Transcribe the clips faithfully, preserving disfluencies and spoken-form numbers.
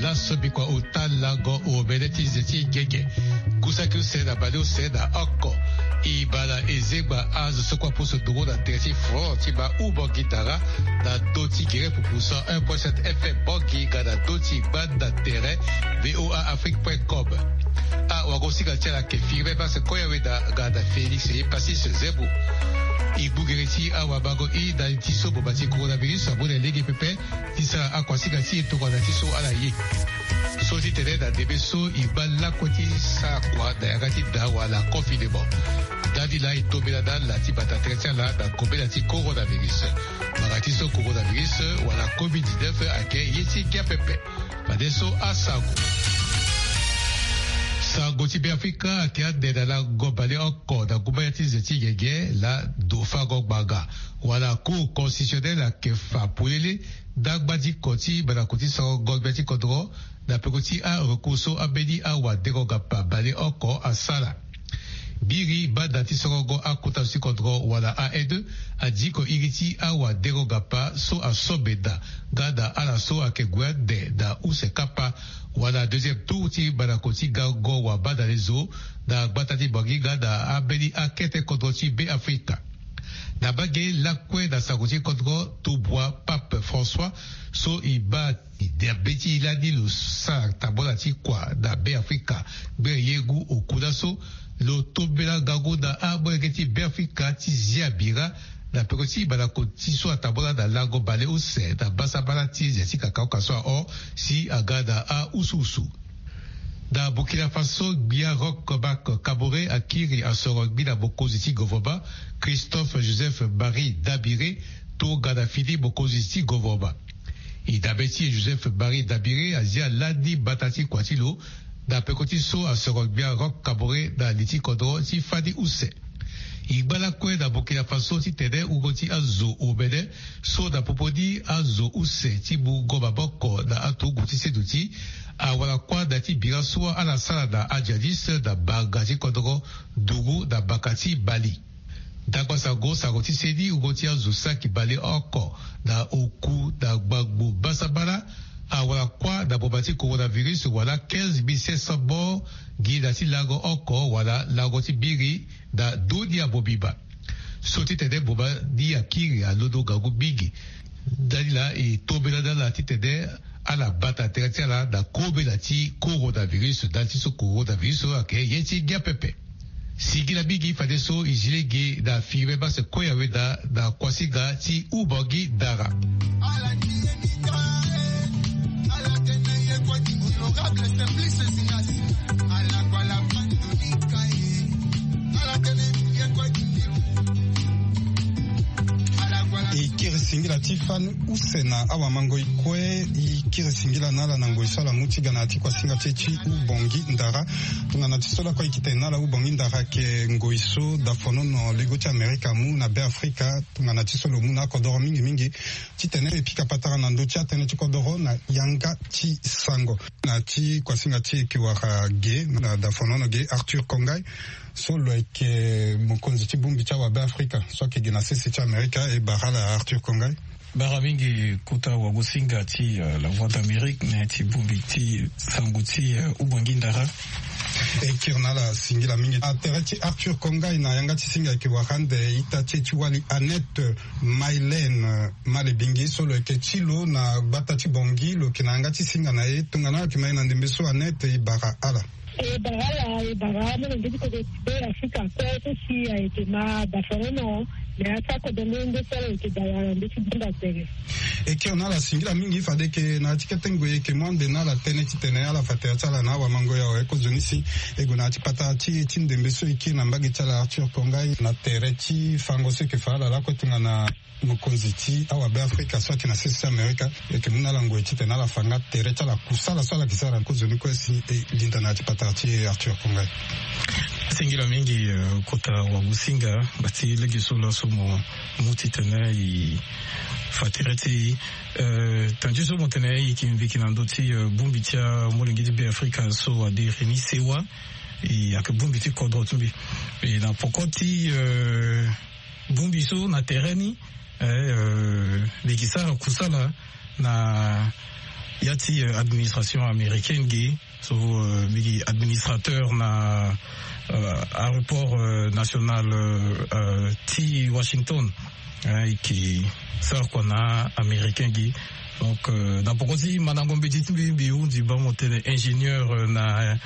Aso bikua ota lango omene ti ze ti gege. Kusaki use na bale use na oko. E baa na ezengba azo so kue apusu nduru na tere ti front ti ba u Bangui Dara, na ndö ti gere pupu cent un point sept F M Bangui nga na ndö ti gbanda tere V O A Afrique point com. Awagosinga ti ala ayeke Firmin Basse Koyaweda nga na Félix Passis Zebou. E gbu gere ti awamango i na li ti so boma ti coronavirus amu na lege pepe. Ti sara akuasinga ti e tongana ti so ala ye. So ti tene na ndembe so e baa lakue ti sara kua na yanga ti da wala confinement. Ndali laa e tombela na ala ti bata tere ti ala na kobela ti coronavirus. Mbanga ti so coronavirus wala covid dix-neuf ayeke ye ti ngia pepe. Fadeso asango. Sango ti Beafrika ayeke ande na lango baleoko na gumbaya ti ze ti gege laa ndo fango ngbanga wala Cour constitutionnelle ayeke fa polele ndangba ti ko ti mandako ti sango ngongbia ti kodro na peko ti arecours so ambeni awadengo ngapa baleoko asara. Biri banda ti sorongo akota zo ti kodro wala A N E adiko iri ti awadengo ngapa so aso benda nga na ala so ayeke gue ande na use kapa wala deuxième tour ti mandako ti gango wabanda lezo na gbata ti Bangui nga na ambeni akete kodro ti Beafrika. Na mbage lakue na sango ti kodro, tubua Pape François so e baa e derbe ti e lani lo sara tambula ti kua na Beafrika. Gbere ye ngu oku laso lo tombela ngangu na amolenge ti Beafrika ti zia bira na peko ti mandako ti so atambula na lango baleuse na basabala ti ze ti kakaoka so ahon si aga na ausuusu. Na Burkina Faso, gbia Roch Marc Kaboré akiri asoro ngbi na mokonzi ti govoroma, Christophe Joseph Marie Dabiré, tongana fini mokonzi ti govoroma. E dabe ti e Joseph Marie Dabiré azia lani mbata ti kua ti lo na peko ti so asoro gbia Roch Kaboré na li ti kodro ti fani use. E ngba lakue na Burkina Faso titene wungo ti azo omene so na popo ni azo use ti mungo maboko na aturugu ti seduti awara kuâ na ya ti bira so ala sara na ajihadiste na mbanga ti kodro nduru na mbaka ti Mali. Ndangba sango, sango ti seni wungo ti azo saki baleoko na oku na gbangbo basabala awara kuâ na boma ti coronavirus wala quinze mille cinq cents morts gi na ti lango oko wala lango ti biri na ndö ni amobimba. So titene boma ni akiri alondo ngangu mingi. Ndali laa e tombela na ala titene ala bata tere ti ala na kobela ti coronavirus, ndali ti so coronavirus so ayeke ye ti ngia pepe. Singila mingi fadeso e zi lege na Firmin Basse Koyaweda na kuasinga ti Ubangi Dara. E kiri singila ti fani use na awamangoi kue. E kiri singila na ala na ngoi so ala mu ti ga na ya ti kuasinga ti e ti Ubongi Ndara. Tongana ti so lakue e yeke tene na ala, Ubongi Ndara ayeke ngoi so dafonono lego ti Amerika amu na Beafrika. Tongana ti so lo mu na akodoro mingi mingi titene e pika patara na ndö ti atënë ti kodoro na yanga ti sango. Na ti kuasinga ti e yeke wara ge na dafonono ge Arthur Kongai, so lo yeke mokonzi ti bongbi ti awabeafrika so ayeke ge na sese ti Amerika. E bara ala Arthur Kongai. Bara mingi kota wagosinga ti, euh, La Voix d'Amérique, na ya ti bongbi ti sango ti, euh, Ubongi Ndara. E kiri na ala singila mingi. Atere ti Arthur Kongai na yanga ti singa ayeke wara ande ita ti e ti wali Annette Mylène Malebingi, so lo yeke ti lo na gbata ti Bangui, lo yeke na yanga ti singa na e. Tongana ayeke ma e na ndembe so, Annette, e bara ala. E bara ala, e bara amolenge ti kodro ti Beafrika kue so si ayeke ma dafonono na ya ti akodro nde so ala yeke da wala nde ti bunda tere. E kiri na ala singila mingi. Fade yeke na ya ti kete ngoi e yeke mu ande na ala tënë titene ala fa tere ti ala na awamangoi awe. Kozoni si e gue na ya ti patara ti e ti ndembe so e kiri na mbage ti ala Arthur Kongai na tere ti fango so e yeke fa ala lakue tongana mokonzi ti awabeafrika so ayeke na sese ti Amerika. E yeke mu na ala ngoi titene ala fa nga tere ti ala, kusala so ala yeke sara. Kozoni kue si e linda na ya ti patara ti e Arthur Kongai. Singila mingi, euh, kota wagosinga, bati lege so laso mo mu titene e fa tere ti e. Euh, tënë ti so mo tene e yeke mviki na ndö ti, euh, bongbi ti amolenge ti Beafrika so adiri ni sewa. E ayeke bongbi ti kodro ti mbi. E na poko ti, euh, bongbi so na tere ni, eh, euh, mbi yeke sara kusala na Ya ti administration américaine gi so mbi gi administrateur na aéroport national ti Washington, e ke sara kua na américain gi. Donc na poko ti mandango mbeti ti mbi, mbi hundi bango tene ingénieur na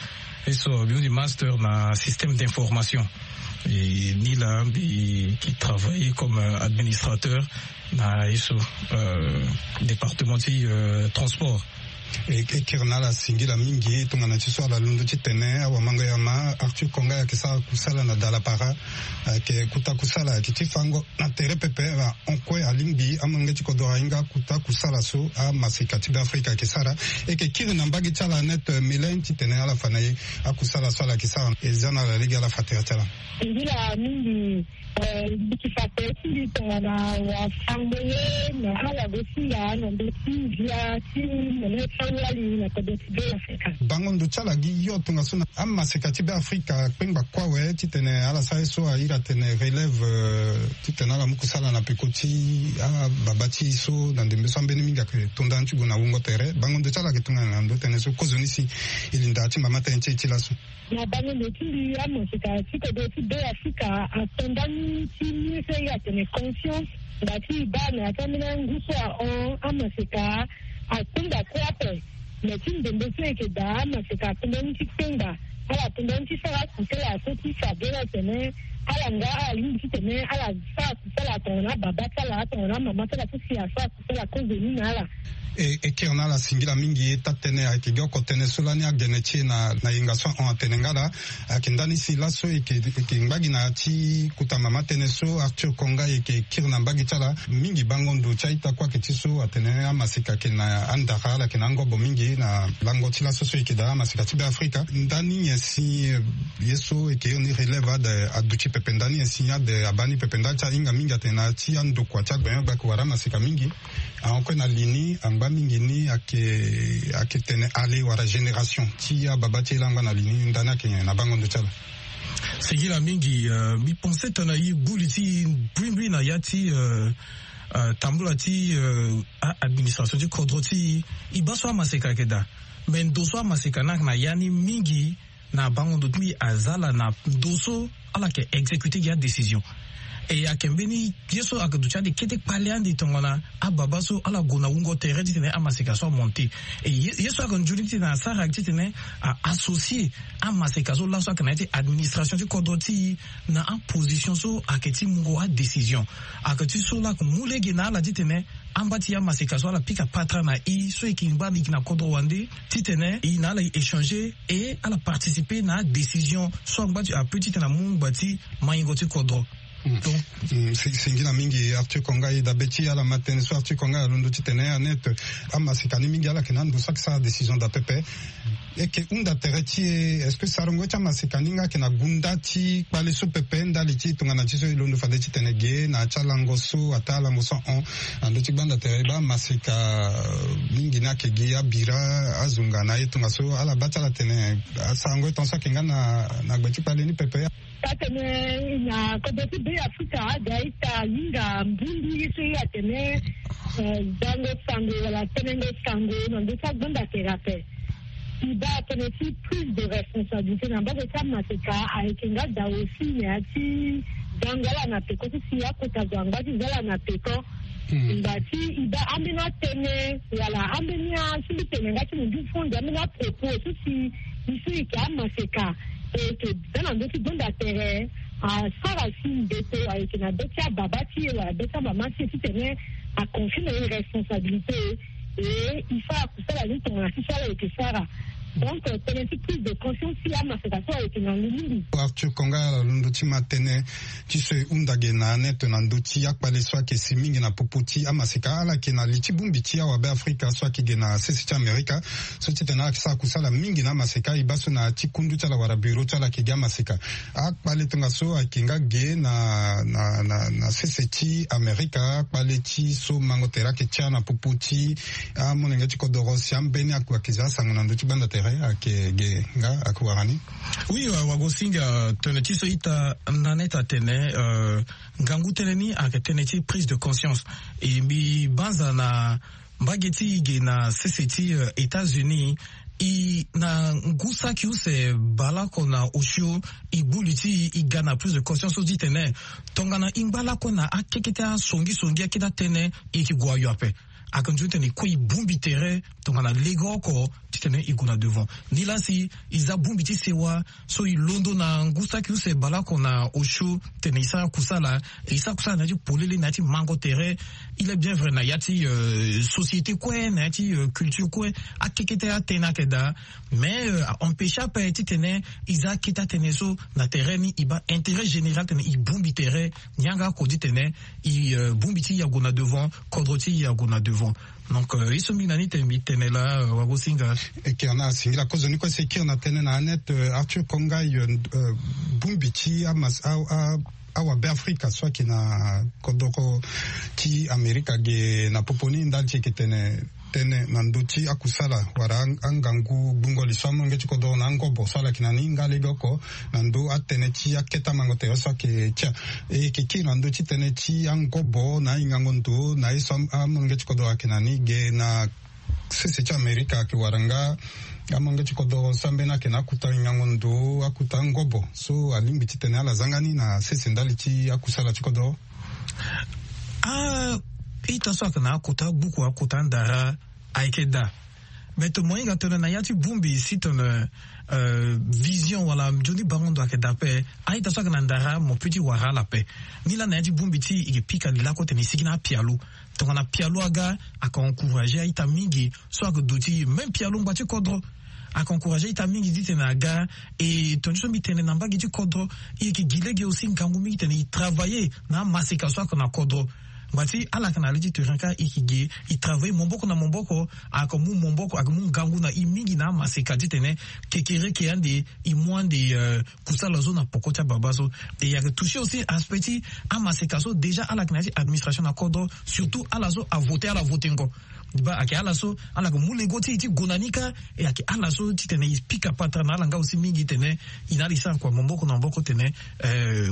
eso, mbi hundi master na système d'information. E ni laa mbi ke travailler comme administrateur na eso département ti transport. E kiri na ala singila mingi tongana ti so ala londo titene awamango yama Arthur Konga ayeke sara kusala na dalapara. Ayeke kuta kusala ayeke ti fango na tere pepe. Ahon kue alingbi amolenge ti kodro ahinga kuta kusala so amaseka ti Beafrika ayeke sara. E yeke kiri na mbage ti ala net melen titene ala fa na ye akusala so ala yeke sara. E za na ala lege ala fa tere ti ala. Singila mingi. Mbi ke fa tere ti mbi tongana wafango ye na ala gosinga na ndö ti ndia ti mene ti awali na kodro ti Beafrika. Bango ndo ti ala gi yo tongaso na amaseka ti Beafrika akpengba kue awe titene ala sara ye so airi atene relève, titene ala mu kusala na peko ti ababa ti e so na ndembe so ambeni mingi ayeke to ndani ti gue na wungo tere. Bango ndo ti ala ayeke tongana na ndö tënë so kozoni si e linda ti mama tënë ti e ti laso. Na bango ndo ti mbi amaseka ti kodro ti Beafrika ato ndani ti mu ye so e atene confiance. Ngba ti e baa na ya ti ambeni angu so ahon amaseka akpengba kue ape. Me ti ndembe so e yeke daa amaseka ato ndani ti kpengba. Ala to ndani ti sara kusala so ti fa beni atene ala nga ala lingbi titene ala sara kusala tongana ababa ti ala tongana amama ti ala so si asara kusala kozoni na ala. E, e kiri na ala singila mingi. E taa tënë ayeke gi oko tënë so lani agene ti e na, na yenga so ahon atene nga laa. Ayeke ndani si laso e yeke, e yeke ngba gi na ya ti kuta mama tënë so Arthur Konga e yeke kiri na mbage ti ala. Mingi bango ndo ti a-ita kue ayeke ti so atene amaseka ayeke na andara, ala yeke na angobo mingi na lango ti laso so e yeke daa amaseka ti Beafrika. Ndani nyen si ye so e yeke iri ni relève ade aduti pepe? Ndani nyen si ade abaa ni pepe? Ndali ti ahinga mingi atene na ya ti andokua ti agbene gba ayeke wara amaseka mingi. Ahon kue na li ni angba mingi ni ayeke, ayeke tene ale wala génération ti ababa ti e laa angba na li ni. Ndani ayeke nyen na bango ndo ti ala? Singila mingi. Mbi pense tongana e gbu li ti e mbrimbri na ya ti tambula ti a-administration ti kodro ti e, e baa so amaseka ayeke daa. Me ndo so amaseka ni ayeke na ya ni mingi na bango ndo ti mbi aza ala na ndo so ala yeke exécuter gi adécision. E ayeke mbeni ye so ayeke duti ande kete kpale ande tongana ababa so ala gue na wungo tere titene amaseka so amonter. E ye, ye so ayeke nzoni titene asara ayeke titene a-associer amaseka so laso ayeke na ya ti administration ti kodro ti e na aposition so ayeke ti mungo adécision. Ayeke ti so laa ayeke mu lege na ala titene amba ti amaseka so ala pika patara na e so e yeke ngba mingi na kodro wande titene e na ala e échanger e ala participer na adécision so angba ti ape titene amu ngba ti maingo ti kodro. Donc, singila mingi Arthur Konga. E dabe ti ala ma tënë so Arthur Konga alondo titene anet amaseka ni mingi ala yeke na ando so ayeke sara décision daa pepe. E yeke hunda tere ti e, est-ce que sarango ti amaseka ni nga ayeke na gunda ti kpale so pepe ndali ti tongana ti so e londo fade titene ge na ya ti alango so ataa alango so ahon na ndö ti gbanda tere e baa amaseka mingi ni ayeke gi abira azunga na aye tongaso ala baa ti ala tene asarango ye tongaso ayeke nga na gbe ti kpale ni pepe. Taa tene na kodro ti Beafrika aga ita ahinga mbundu ye so e atene zango sango wala tenengo sango na ndö ti agbanda tere ape. E baa tënë ti prise de responsabilité na mbage ti amaseka ayeke nga daa aussi na ya ti zango ala na peko ti si akota zo angba ti za ala na peko. Ngba ti e baa ambeni atënë wala ambeni asimbi tene nga ti mundu fo nze ambeni apropos so si e so e yeke amaseka e yeke za na ndö ti gbanda tere asara si mbeto ayeke na be ti ababa ti e wala be ti amama ti e titene aconfie na e responsabilité. E e sara kusala ni tongana ti so ala yeke sara. Donc tënë ti prise de conscience ti amaseka so ayeke na ngu mingi. Arthur Konga ala londo ti ma tënë ti so e hunda ge na anet na ndö ti akpale so ayeke si mingi na popo ti amaseka ala yeke na li ti bongbi ti awabe Afrika so ayeke ge na sese ti Amerika. So titene ala yeke sara kusala mingi na amaseka e baa so na ya ti kundu ti ala wala bureau ti ala ayeke gi amaseka. Akpale tongaso ayeke nga ge na na na sese ti Amerika akpale ti so mango tere ayeke tia na popo ti amolenge ti kodoro si ambeni akua ayeke za asango na ndö ti gbanda tere ayeke ge nga ayeke wara ni. Oui, wagosinga tënë ti so ita na neta tene ngangu tënë ni ayeke tënë ti prise de conscience. E mbi banza na Mbage ti e ge na sese ti États-Unis, e na ngu saki use baleoko na osio, e gbu li ti e e ga na prise de conscience so ti tene tongana e ngba lakue na akekete asongisongi akete atene, e yeke gue ayo ape. Aka nzoni tene e kue e bongbi tere tongana legeoko ti tene e gue na devant. Nilaa si e za bongbi ti sewa so e londo na ngu saki use baleoko na osio tene e sara kusala, e sara kusala na ya ti polele na ya ti mango tere. Il est bien vrai na ya ti société kue, na ya ti culture kue, akekete atene ayeke daa. Mais a empêche ape ti tene e za akete atene so na tere ni, e baa intérêt général tene e bongbi tere. Ni yanga oko ti tene e bongbi ti e ague na devant, kodro ti e ague na devant. Donc e so mingi na ni tene mbi tene laa, wagosinga. Eke na singila kozo ni kue si e kiri na tënë na Annette, Arthur Kongai, bongbi ti awabe Afrika so ayeke na kodro ti Amerika ge na popo ni ndali ti e yeke tene tënë na ndö ti akusala wala angangu gbungo li so amolenge ti kodro na angobo so ala yeke na ni nga legeoko na ndö atënë ti akete amango tere so ayeke tia. E yeke kiri na ndö ti tënë ti angobo na ahingango ndo na ye so amolenge ti kodro ayeke na ni ge na sese ti Amerika ayeke wara nga amolenge ti kodro so ambeni ayeke na akuta hingango ndo, akuta angobo so alingbi ti tene ala zanga ni na sese ndali ti akusala ti kodro. A ita so ayeke na akota gbuku, akota ndara ayeke daa. Me tongana mo hinga tongana na ya ti bongbi si tongana vision wala nzoni bango ndo ayeke daa ape. A ita so ayeke na ndara mo peut ti wara ala ape. Nilaa na ya ti bongbi ti e yeke pika li lakue tene e sigi na apialo. Tongana pialo aga, ayeke encourager a-ita mingi so ayeke duti même pialo ngba ti kodro. Ayeke encourager a-ita mingi titene aga. E tongana so mbi tene na mbage ti kodro, e yeke gi lege aussi ngangu mingi titene e travailler na amaseka so ayeke na kodro. Ngba ti ala yeke na le ti terrain kâ, e yeke gi e travailler maboko na maboko. Ayeke mu maboko, ayeke mu ngangu na e mingi na amaseka titene kekereke ande e mu ande kusala so na poko ti ababa so. E ayeke toucher aussi aspect ti amaseka so déjà ala yeke na ya ti administration na kodro, surtout ala so avoter ala votengo. Ba ayeke ala so ala yeke mu lego ti e ti gue na ni kâ. E ayeke ala so titene e pika patara na ala nga aussi mingi titene e na ala e sara kua maboko na maboko titene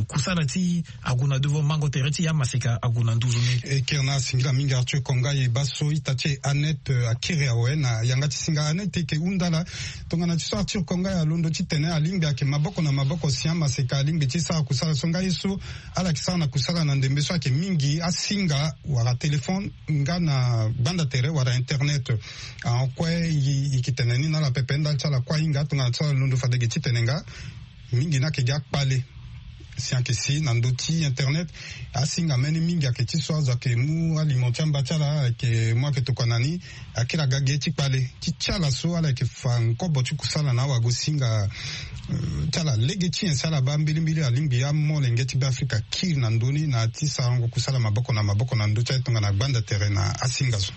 kusala ti e ague na devant, mango tere ti e amaseka ague na nduzu ni. E kiri na singila mingi Arthur Kongai, e baa so ita ti e Annette akiri awe na yanga ti singa. Annette, e yeke hunda ala tongana ti so Arthur Kongai alondo titene alingbi ayeke maboko na maboko si amaseka alingbi ti sara kusala so nga ye so ala yeke sara na kusala na ndembe so ayeke mingi asinga wala téléphone nga na gbanda tere wala internet. Ahon kue e yeke tene ni na ala pepe ndali ti ala kue ahinga tongana ti so alondo fade ge titene nga mingi ni ayeke gi akpale. Si ayeke si na ndö ti internet asinga mbeni mingi ayeke ti so azo ayeke mu aliment ti amba ti ala ayeke mu ayeke tokua na ni. Akiri aga ge ti kpale ti ti ala so ala yeke fa ngobo ti kusala na awagosinga ti ala lege ti nyen si ala baa mbilimbili alingbi amolenge ti Beafrika akiri na ndö ni na ya ti sarango kusala maboko na maboko na ndö ti aye tongana gbanda tere na asinga so.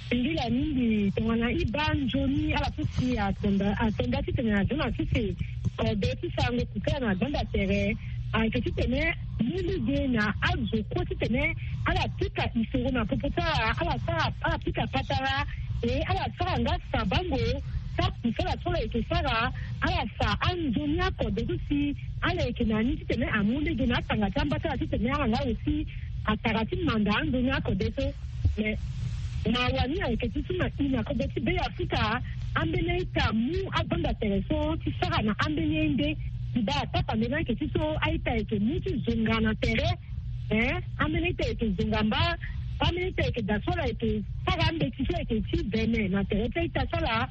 Singila mingi tongana e baa nzoni ala so si atonda atonda titene azo na sese kode ti sarango kusala na gbanda tere. Ayeke titene mu lege na azo kue titene ala pika isoro na popo ti ala, ala sara ala pika patara. E ala sara nga sabango ti akusala so ala yeke sara. Ala sa anzoni akode so si ala yeke na ni titene amu lege na atanga ti amba ti ala titene ala nga aussi atara ti manda anzoni akode so. Mais mawa ni ayeke ti so na e na kodro ti Beafrika ambeni a-ita amu agbanda tere so ti sara na ambeni ende. Ti baa tapande ni ayeke ti so a-ita ayeke mu ti zonga na tere. Ee, ambeni a-ita ayeke zonga mba. Ambeni a-ita ayeke daa so ala yeke sara ambeti so ayeke ti vene na tere ti a-ita so ala.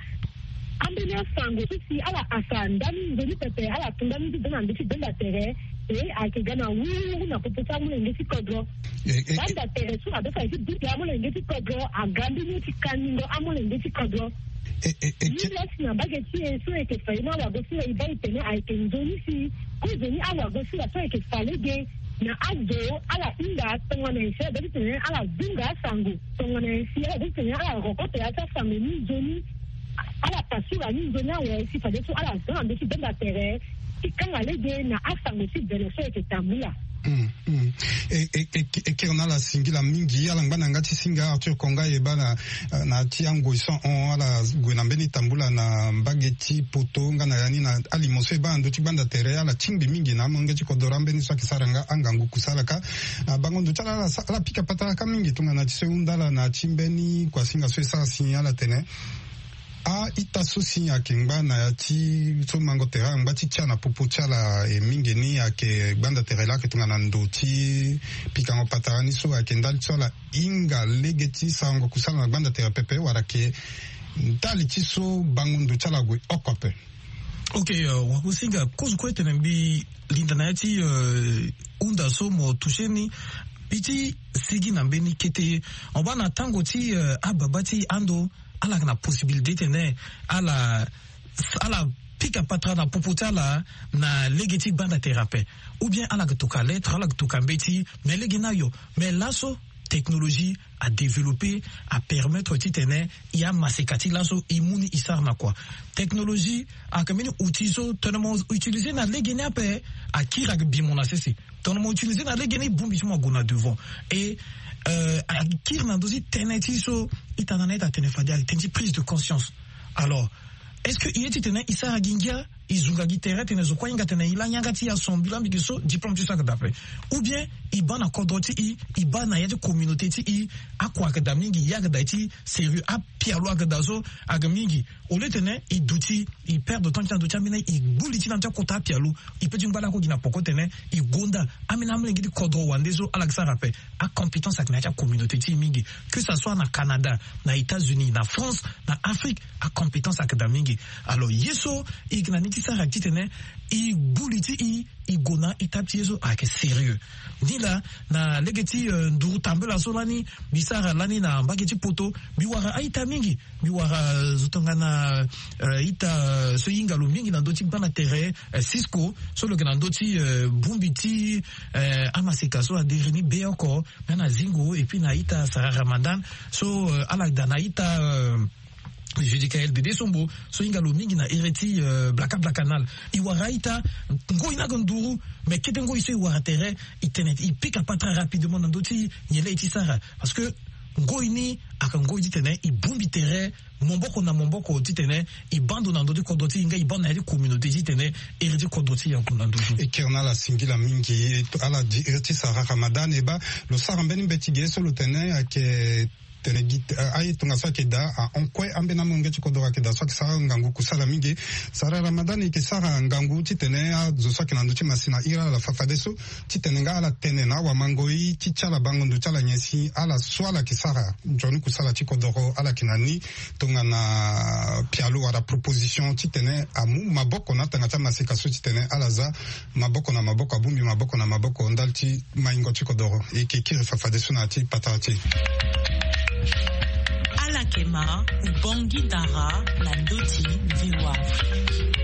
Ambeni asango so si ala asa ndani nzoni pepe ala tu ndani ti da na ndö ti gbanda tere. E ayeke ga na wururu na popo ti amolenge ti kodro. Gbanda tere so abe fa e ti buti amolenge ti kodro aga mbeni ye ti kaningo amolenge ti kodro. Ni laa si na mbage ti e so e yeke fa ye ni awagosinga e baa e tene ayeke nzoni si kozoni awagosinga so ayeke fa lege na azo ala hinga tongana nyen si ala be ti tene ala zunga asango. Tongana nyen si ala be ti tene ala rokoto ya ti asango ni nzoni. Ala pasura ni nzoni awe si fadeso ala za na ndö ti gbanda tere ti kanga lege na asango ti vene so ayeke tambula. Mm, mm. E, e, e, e kiri na ala singila mingi, ala ngba na yanga ti singa Arthur Konga e baa na, na ti angoi so ahon ala gue na mbeni tambula na mbage ti poto nga na ya ni na alimo so e baa na ndö ti gbanda tere, ala tingbi mingi na amolenge ti kodoro ambeni so ayeke sara nga angangu kusala kâ. Na bango ndo ti ala, ala sa, ala pika patara kâ mingi tongana ti so e hunda ala na ti mbeni kuasinga so e sara si ala tene a-ita so si ayeke ngba na ya ti so mango tere angba ti tia na popo ti ala, e mingi ni ayeke gbanda tere laa ayeke tongana ndo ti pikango patara ni so ayeke ndali ti so ala hinga lege ti sarango kusala na gbanda tere pepe wala ayeke ndali ti so bango ndo ti ala ague oko ape. Ok, euh, wakusinga kozo kue tene mbi linda na ya ti, euh, hunda so mo touché ni. Mbi ti sigi na mbeni kete ye. Mo baa na tango ti, euh, ababa ti ando, ala yeke na possibilité tene ala, ala pika patara na popo ti ala na lege ti gbanda tere ape. Ou bien ala yeke toka lettre, ala yeke toka mbeti, mais lege ni ayo. Mais laso technologie a développé, a permettre titene e amaseka ti laso e mu ni e sara na kua. Technologie ayeke mbeni outil so tongana mo utiliser na lege ni ape, akiri ayeke bi mo na sese. Tongana mo utiliser na lege ni, bongbi ti mo ague na devant. Et, euh, akiri na ndö ti tënë ti so ita na na ita atene fade, atene ti prise de conscience. Alors, est-ce que e ye titene e sara gi ngia, e zunga gi tere titene zo kue ahinga titene e laa yanga ti e asambila mingi so diplôme ti so ayeke daa ape? Ou bien e baa na kodro ti e, e baa na ya ti communauté ti e, akua ayeke daa mingi, ye ayeke daa ti sérieux, apialo ayeke daa so ayeke mingi. Au lieu titene e duti, e perdre temps ti na ndö ti ambeni, e gbu li ti na ndö ti akota apialo, e peut ti ngba lakue gi na poko titene e gonda ambeni amolenge ti kodro wande so ala yeke sara ape. Acompétence ayeke na ya ti acommunauté ti e mingi, que ça soit na Canada, na États-Unis, na France, na Afrique, acompétence ayeke daa mingi. Alors ye so e yeke na ni ti sara titene e gbu li ti e, e gue na étape ti ye so ayeke sérieux. Ni laa, na lege ti, euh, nduru tambela so lani mbi sara lani na mbage ti poto, mbi wara a-ita mingi. Mbi wara, euh, zo tongana, euh, ita, euh, so e hinga lo mingi na ndö ti gbanda tere, euh, Cisco, so lo yeke na ndö ti, euh, bongbi ti, euh, amaseka so adiri ni be oko, nga na Zingo, et puis na ita Sarah Ramadan so, euh, ala daa na ita, euh, Judicaël Dede Sombo so e hinga lo mingi na iri ti, euh, Blaka Blaka Nal. E wara a-ita, ngoi ni ayeke nduru, mais kete ngoi so e wara tere, e tene e pika patara rapidement na ndö ti nyen laa e ti sara. Parce que ngoi ni ayeke ngoi titene e bongbi tere maboko na maboko titene e baa ndo na ndö ti kodro ti e nga e baa ndo na ya ti communauté titene iri ti kodro ti e ague na ndö ti. E kiri na ala singila mingi, e to, ala di iri ti Sarah Ramadan e baa lo sara mbeni mbeti ge so lo tene ayeke tene gi, eh, aye tongaso ayeke daa ahon kue ambeni amolenge ti kodro ayeke daa so ayeke sara ngangu kusala mingi. Sarah Ramadan e yeke sara ngangu titene azo so ayeke na ndö ti masina iri ala fafadeso titene nga ala tene na awamangoi ti ti ala bango ndo ti ala nyen si ala so ala yeke sara nzoni kusala ti kodoro ala yeke na ni tongana pialo wala proposition titene amu maboko na atanga ti amaseka so titene ala za maboko na maboko, abongbi maboko na maboko ndali ti maingo ti kodoro. E yeke kiri fafadeso na ya ti patara ti e. Ala yeke ma Ubangui Dara na ndö ti V O A Afrique.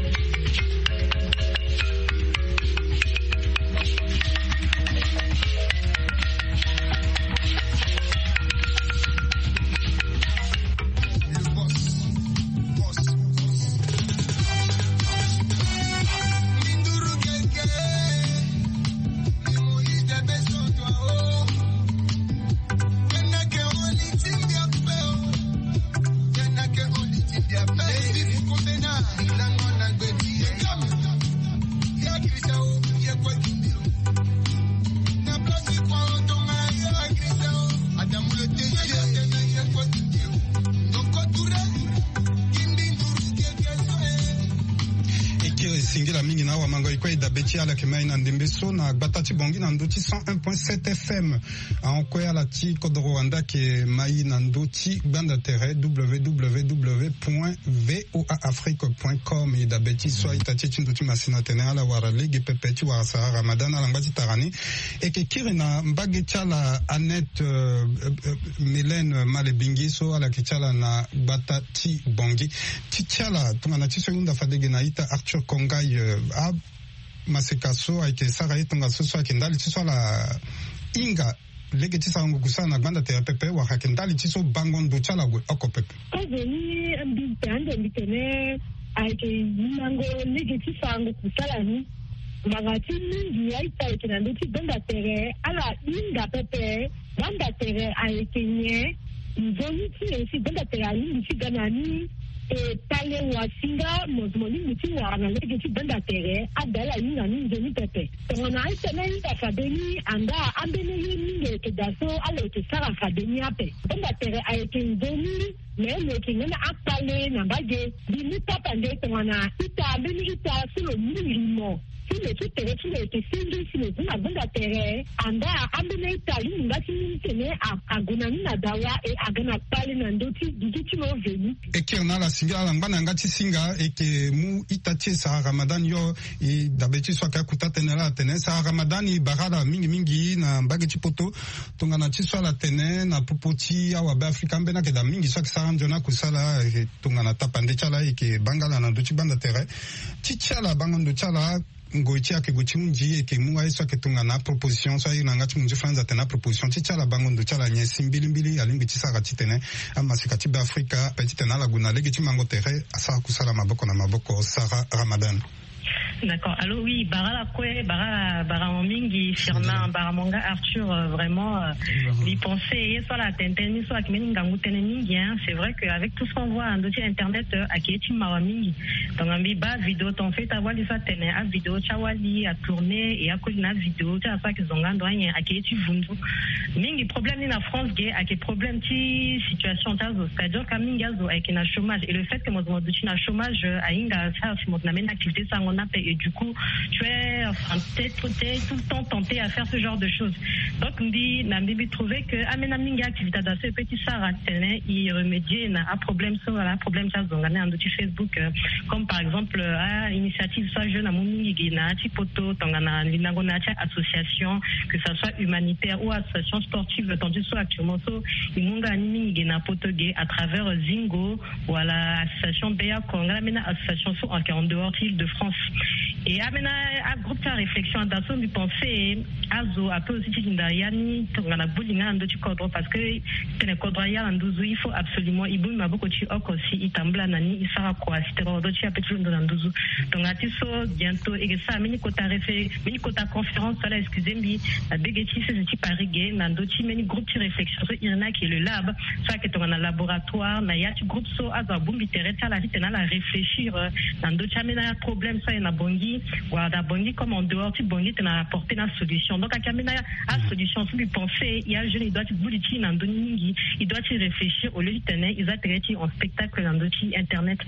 E kiri singila mingi na awamango e kue e dabe ti ala yeke mai na ndembe so na gbata ti Bangui na ndö ti cent un point sept F M. Ahon kue ala ti kodoro wande ayeke mai na ndö ti gbanda tere W W W point V O A Afrique point com. E dabe ti so a-ita ti e ti ndö ti masina atene ala wara lege pepe ti wara sara Ramadan ala ngba ti tara ni. E yeke kiri na mbage ti ala Annette, euh, euh, euh, Mélène Malebingi so ala yeke ti ala na gbata ti Bangui. Ti ti ala tongana ti so e hunda fade ge na a-ita Arthur Kongai, euh, amaseka so ayeke sara ye tongaso so ayeke ndali ti so ala hinga lege ti sarango kusala na gbanda tere pepe wala ayeke ndali ti so bango ndo ti ala ague oko pepe? Kozo ni mbi pe ande mbi tene ayeke yimango lege ti sarango kusala ni. Ngbanga ti mingi aita ayeke na ndö ti gbanda tere ala hinga pepe. Gbanda tere ayeke nyen? Nzoni ti nyen si gbanda tere alingbi ti ga na ni? E pale wasinga mo mo lingbi ti wara na lege ti gbanda tere ada ala hinga ni nzoni pepe. Tongana aita ni ahinga fade ni anda ambeni ye mingi ayeke daa so ala yeke sara fade ni ape. Gbanda tere ayeke nzoni. Me lo yeke ngana akpale na mbage. Mbi mu tapande tongana ita mbeni ita so lo mu limo ti lo ti tere ti lo yeke senge si lo zi na gbanda tere anda ambeni ita alingbi nga ti mu tene a- ague na ni na dawa e aga na kpale na ndö ti dudu ti lo veni. E kiri na ala singi ala ngba na yanga ti singa e yeke mu ita ti e Sara Ramadan yo. E dabe ti so ayeke akuta tënë laa atene Sara Ramadan e bara ala mingi mingi na mbage ti poto. Tongana ti so ala tene na popo ti awabe afrika ambeni ayeke daa mingi so ayeke sara nzoni akusala. E tongana tapande ti ala e yeke banga ala na ndö ti gbanda tere ti ti ala bango ndo ti ala. Ngoi ti e ayeke gue ti hunzi e yeke mu aye so ayeke tongana aproposition so aye na yanga ti munzu franz atene aproposition ti ti ala bango ndo ti ala nyen si mbilimbili alingbi ti sara titene amaseka ti be afrika ape titene ala gue na lege ti mango tere asara kusala maboko na maboko. Sara Ramadan. D'accord. Allô, oui, bara ala kue, bara, bara mo mingi, Firmin, bara mo nga Arthur, euh, vraiment, euh, mbi pense ye so ala tene tënë ni so ayeke mbeni ngangu tënë mingi, hein. C'est vrai que avec tout ce qu'on voit na ndö ti internet, euh, ayeke ye ti mawa mingi. Donc mbi baa vidéo ton fait awali so atene avidéo ti awali atourné e akoli na avidéo ti ala so ayeke zonga ando anyen ayeke ye ti vundu. Mingi problème ni na France ge ayeke problème ti situation ti azo, c'est-à-dire ka mingi azo ayeke na chômage et le fait que moto mo duti na chômage, euh, ahinga asara si moto na mbeni activité ti sango ni ape et du coup tu es, enfin, t'es, t'es tout le temps tenté à faire ce genre de choses. Donc mbi na mbi mbi trouver que ambeni mingi activité ada so e peut ti sara titene e remédier na aproblème so wala aproblème ti azonga ni na ndö ti Facebook, euh, comme par exemple, euh, ainitiative so ajeune amu mingi ge na ya ti poto tongana lindango na ya ti association, que ça soit humanitaire ou association sportive, tandis so actuellement so e mu nga ni mingi ge na poto ge à travers, euh, Zingo wala association Beyako nga na ambeni association so ayeke en dehors ti Île-de-France. Et ambeni agroupe ti aréflexion ada so mbi pense azo ape aussi ti linda ya ni tongana gbu linga na ndö ti kodro parce que tene kodro aya na nduzu il faut absolument e bongbi maboko ti oko si e tambula na ni e sara kua si tene kodro ti e ape ti londo na nduzu. Tongana ti so bientôt e yeke sara mbeni kota réfé mbeni kota conférence so ala excuse mbi na bege ti sese ti Paris ge na ndö ti mbeni groupe ti réflexion so e iri ni ayeke le lab so ayeke tongana laboratoire na ya ti groupe so azo abongbi tere ti ala titene ala réfléchir, euh, na ndö ti ambeni aproblème so aye na Bangui wala na Bangui comme en dehors ti Bangui titene ala apporter ni asolution. Donc ayeke ambeni asolution so mbi pense e ajeune e doit ti gbu li ti e na ndö ni mingi. E doit ti réfléchir au lieu titene e za tere ti e en spectacle na ndö ti internet.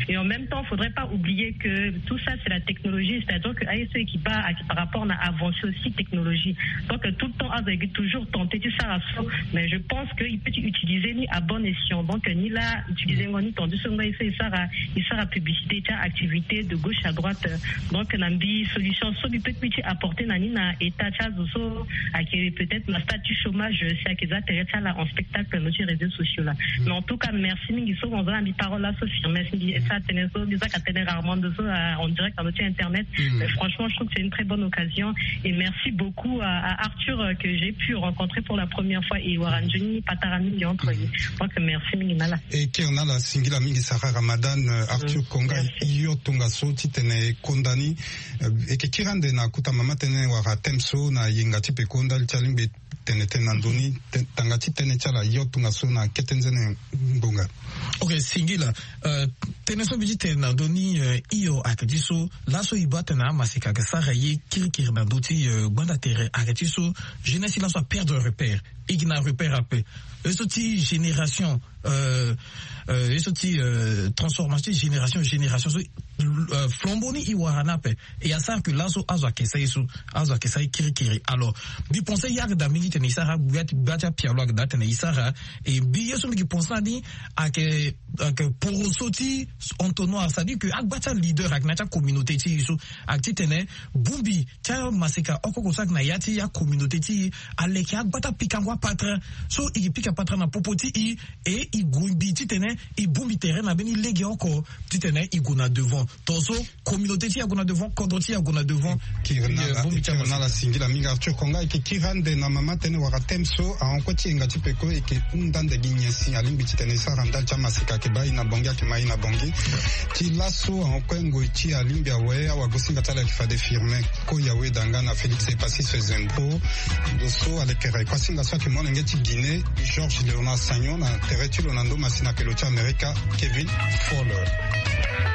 Et en même temps faudrait pas oublier que tout ça c'est la technologie, c'est-à-dire que aye so e yeke baa ayeke par rapport na avancée aussi technologie. Donc tout le temps azo ayeke toujours tenté ti sara so, mais je pense que e peut ti utiliser ni à bon escient. Donc ni laa utiliser ngo ni tandis so ngo aye so e sara e sara publicité ti activité de gauche à droite. Donc na mbi solution so mbi peut mbi ti apporter na ni na état ti azo so ayeke peut-être na stade ti chômage si ayeke za tere ti ala en spectacle na ndö ti réseaux sociaux là. Mais en tout cas merci mingi so mo za na mbi parole là so Firmin si mbi sara tënë so mbi zaka tënë rarement ndo so, euh, en direct na ndö ti internet. Mais franchement je trouve que c'est une très bonne occasion et merci beaucoup à, à Arthur, euh, que j'ai pu rencontrer pour la première fois et wara nzoni patara mingi entre ye. Donc merci mingi na ala. E kiri na ala singila mingi Sara Ramadan, euh, Arthur Konga. Yo tongaso titene e konda ni, euh, e yeke kiri ande na kota mama tënë wala thème so na yenga ti peko ndali ti alingbi tene tënë na ndo ni tanga ti tënë ti ala yo tongaso na kete nzene ngbonga. Ok singila. Euh, tënë so mbi ti tene na ndo ni, euh, hio ayeke ti so laso e baa tene amaseka ayeke sara ye kirikiri na ndö ti, euh, gbanda tere ayeke ti so jeunesse ti laso aperdre repère. E gi na repère ape. Ye so ti génération, euh, euh, ye so ti, euh, transformation ti génération génération so, euh, flambeau ni e wara ni ape. E asara ke laso azo ayeke sara ye so azo ayeke sara ye kirikiri. Alors mbi pense ya ayeke daa mingi titene e sara gbia ti gbia ti apialo ayeke daa titene e sara. E mbi ye so mbi yeke pense na ni ayeke, ayeke poroso ti entonnoir c'est-à-dire que agba ti aleader ayeke na ya ti acommunauté ti e so ayeke titene bongbi ti amaseka oko oko so ayeke na ya ti acommunauté ti e aleke agba ti apikango apatara so e ke pika patara na popo ti e. E e gue mbi titene e bongbi tere na mbeni lege oko titene e gue na devant tongaso communauté ti e ague na devant kodro ti e ague na devant. Kiri na ala singila mingi Arthur Konga e yeke kiri ande na mama tënë wala thème so ahon kue ti yenga ti peko e yeke hunda ande gi nyen si alingbi titene e sara ndali ti amaseka. Ake baa e na bongi, ake ma e na bongi. Ti laso ahon kue ngoi ti alingbi awe, awagosinga ti ala ayeke fade firme. Ko yawe danga na Félix Epassis Zempo. Ndo so alekere kuasinga so ayeke molenge ti Guinée, Georges Léonard Sagnon, na tere ti lo na ndo masina ake lo ti Amerika, Kevin Fowler.